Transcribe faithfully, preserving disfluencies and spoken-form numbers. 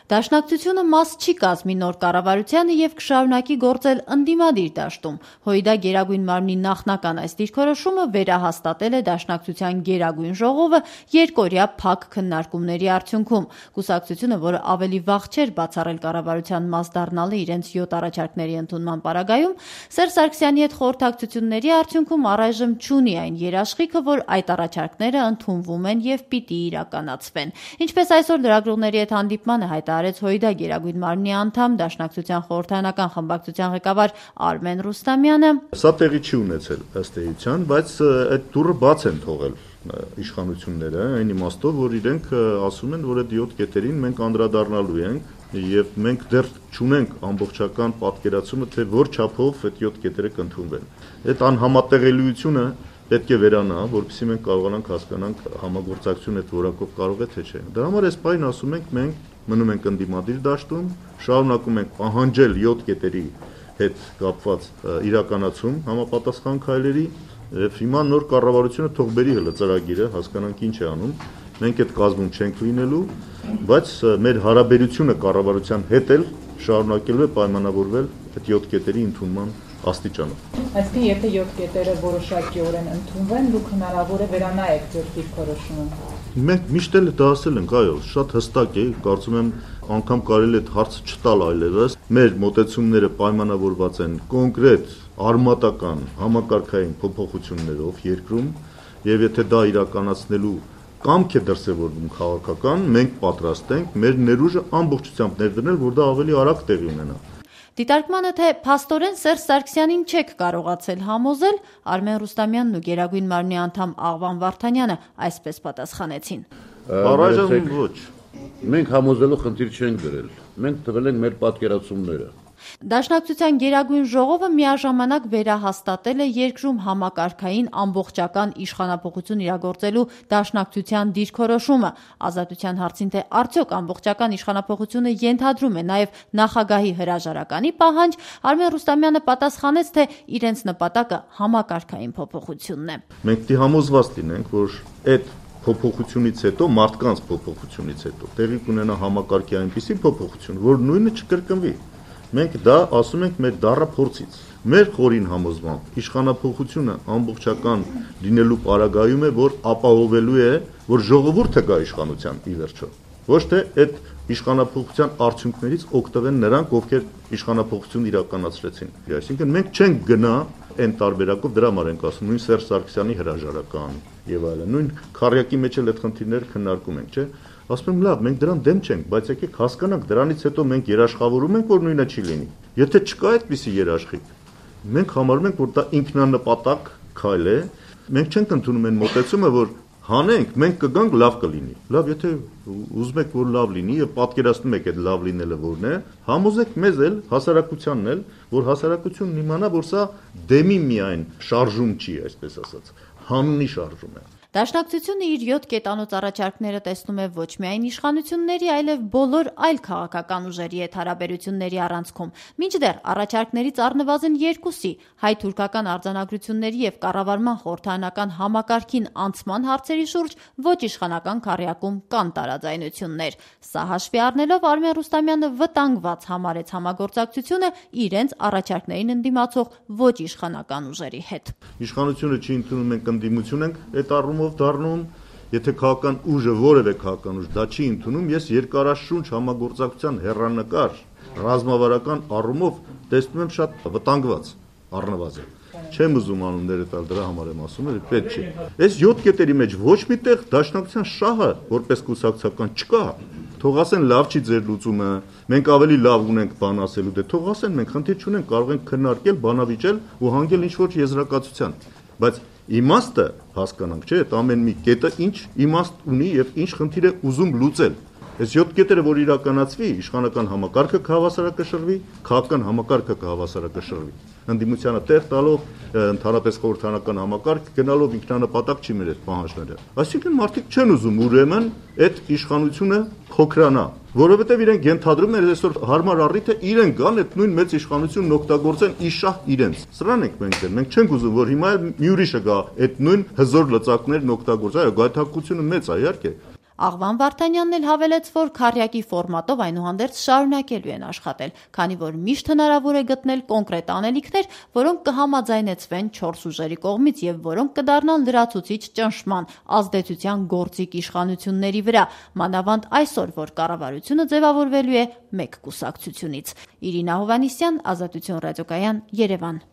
Դաշնակցությունը մաս չի կազմի նոր կառավարությանը եւ կշարունակի գործել ընդդիմադիր դաշտում։ ՀՅԴ Գերագույն մարմնի նախնական այս դիրքորոշումը վերահաստատել է Դաշնակցության Գերագույն ժողովը երկօրյա փակ քննարկումների արդյունքում։ Կուսակցությունը, որը ավելի վաղ չէր բացառել կառավարության մաս դառնալը իրենց յոթ առաջարկների ընդունման պարագայում, Սերժ Սարգսյանի հետ խորհրդակցությունների արդյունքում առայժմ չունի այն երաշխիքը, որ այդ առաջարկները ընդունվում են եւ պիտի իրականացվեն։ Ինչպես այսօր լրագրողների հետ հանդիպմանը հայտարարեց ՀՅԴ Գերագույն մարմնի անդամ Դաշնակցության խորհրդարանական խմբակցության ղեկավար Արմեն Ռուստամյանը, սա տեղի չի ունեցել ըստ էության, բայց այդ դուռը բաց են թողել իշխանությունները, այն իմաստով, որ իրենք ասում են, որ այդ յոթ կետերին մենք անդրադառնալու ենք եւ մենք դեռ չունենք ամբողջական պատկերացումը, թե որ չափով այդ յոթ կետերը կընդունվեն։ Այդ անհամատեղելիությունը պետք է վերանա, որպեսզի մենք կարողանանք հասկանանք համագործակցությունը այդ որակով կարող է թե չէ։ Դրա համար այս պայն ասում ենք մենք մնում ենք ընդդիմադիր դաշտում, շարունակում ենք պահանջել յոթ կետերի հետ կապված իրականացում համապատասխան քայլերի եւ հիմա նոր կառավարությունը թող բերի հələ ծրագիրը, հասկանանք ինչ է անում։ Մենք այդ կազմում չենք լինելու, բայց մեր հարաբերությունը կառավարության հետ էլ շարունակելու է պայմանավորվել այդ յոթ կետերի ընդունման աստիճանով։ Այսինքն, եթե յոթ կետերը որոշակիորեն ընդունվեն, դուք հնարավոր է վերանայեք ձեր դիրքորոշումը։ Մենք միշտ էլ դա ասել ենք, այո, շատ հստակ է, կարծում եմ անգամ կարելի է այդ հարցը չտալ այլևս։ Մեր մոտեցումները պայմանավորված են կոնկրետ արմատական համակարգային փոփոխություններով երկրում, եւ եթե դա իրականացնելու կամք է դրսևորվում քաղաքական, մենք պատրաստ ենք մեր ներուժը ամբողջությամբ ներդնել, որ դա ավելի արագ տեղի ունենա։ Դիտարկմանը, թե փաստորեն Սերժ Սարգսյանին չեք կարողացել համոզել, Արմեն Ռուստամյանն ու Գերագույն մարմնի անդամ Աղվան Վարդանյանը այսպես պատասխանեցին։ Առայժմ ոչ։ Մենք համոզելու խնդիր չենք դրել։ Մենք տվել ենք մեր պատկերացումները։ Դաշնակցության Գերագույն ժողովը միաժամանակ վերահաստատել է երկրում համակարգային ամբողջական իշխանափոխություն իրագործելու Դաշնակցության դիրքորոշումը։ Ազատության հարցին, թե արդյոք ամբողջական իշխանափոխությունը ենթադրում է նաև նախագահի հրաժարականի պահանջ, Արմեն Ռուստամյանը պատասխանեց, թե իրենց նպատակը համակարգային փոփոխությունն է։ Մենք պիտի համոզված լինենք, որ այդ փոփոխությունից հետո, մարդկանց փոփոխությունից հետո տեղի կունենա համակարգի այնպիսի փոփոխություն, որ նույնը չկրկնվի։ Մենք դա ասում ենք մեր դառը փորձից։ Մեր խորին համոզմամբ իշխանափոխությունը ամբողջական լինելու պարագայում է, որ ապահովելու է, որ ժողովուրդը գա իշխանության ի վերջո։ Ոչ թե այդ իշխանափոխության արդյունքներից օգտվեն նրանք, ովքեր իշխանափոխություն իրականացրեցին։ Այսինքն մենք չենք գնա այն տարբերակով, դրա համար ենք ասում, նույն Սերժ Սարգսյանի հրաժարական եւ այլն, նույն քարյակի մեջ էլ այդ խնդիրները քննարկում ենք, չէ՞։ Ասում եմ, լավ, մենք դրան դեմ չենք, բայց եկեք հասկանանք, դրանից հետո մենք երաշխավորում ենք, որ նույնը չի լինի։ Եթե չկա այդպիսի երաշխիք, մենք համարում ենք, որ դա ինքնանպատակ քայլ է, մենք չենք ընդունում այն մոտեցումը, որ հանենք, մենք կգանք, լավ կլինի։ Լավ, եթե ուզում եք, որ լավ լինի եւ պատկերացնում եք այդ լավ լինելը որն է, համոզեք մեզ էլ, հասարակությանն էլ, որ հասարակությունն իմանա, որ սա դեմի միայն շարժում չի, այսպես ասած, հանունի շարժում է։ Դաշնակցությունը իր յոթ կետանոց առաջարկները տեսնում է ոչ միայն իշխանությունների, այլև բոլոր այլ քաղաքական ուժերի հետ հարաբերությունների առանցքում։ Մինչդեռ առաջարկներից առնվազն երկուսի՝ հայ-թուրքական արձանագրությունների եւ կառավարման խորհրդարանական համակարգին անցման հարցերի շուրջ ոչ իշխանական քառյակում կան տարաձայնություններ։ Սա հաշվի առնելով Արմեն Ռուստամյանը վտանգված համարեց համագործակցությունը իրենց առաջարկներին ընդդիմացող ոչ իշխանական ուժերի հետ։ Իշխանությունը չի ընդունում, մենք ընդդիմություն ենք, այդ առումով դառնում, եթե քաղաքական ուժը որևէ քաղաքական ուժ դա չի ընդունում, ես երկարաշունչ համագործակցության հեռանկար ռազմավարական առումով տեսնում եմ շատ վտանգված առնվազն։ Չեմ ուզում անունները տալ, դրա համար եմ ասում, որ պետք չի։ Այս յոթ կետերի մեջ ոչ միտեղ Դաշնակցության շահը որպես կուսակցական չկա։ Թող ասեն լավ չի ձեր լուծումը, մենք ավելի լավ ունենք բան ասելու, դե թող ասեն, մենք խնդիր չունենք, կարող ենք քննարկել, բանավիճել ու հանգել ինչ-որ եզրակացության։ Բայց իմաստը հասկանանք, չէ՞, այդ ամեն մի կետը ինչ իմաստ ունի եւ ինչ խնդիր է ուզում լուծել։ Այս յոթ կետերը, որ իրականացվի, իշխանական համակարգը կհավասարակշռվի, քաղաքական համակարգը կհավասարակշռվի։ Ընդդիմությանը տեղ տալով, ընդհանրապես խորհրդարանական համակարգ գնալով ինքնանպատակ չի մեր այդ պահանջները։ Այսինքն մարդիկ չեն ուզում ուրեմն այդ իշխանությունը փոքրանա, որովհետև իրենք ենթադրում են այսօր հարմար առիթ է իրենք գան այդ նույն մեծ իշխանությունն օգտագործեն իշահ իրենց։ Սրանն ենք մենք դեր, մենք չենք ուզում, որ հիմա մի ուրիշը գա այդ նույն հզոր լծակներն օգտագործի, այո, գայթակղությունը մեծ է, իհարկե։ Աղվան Վարդանյանն էլ հավելեց, որ քառյակի ֆորմատով այնուհանդերձ շարունակելու են աշխատել, քանի որ միշտ հնարավոր է գտնել կոնկրետ անելիքներ, որոնք կհամաձայնեցվեն չորս ուժերի կողմից եւ որոնք կդառնան լրացուցիչ ճնշման, ազդեցության գործիք իշխանությունների վրա, մանավանդ այսօր, որ կառավարությունը ձևավորվելու է մեկ կուսակցությունից։ Իրինա Հովհաննիսյան, Ազատություն ռադիոկայան, Երևան։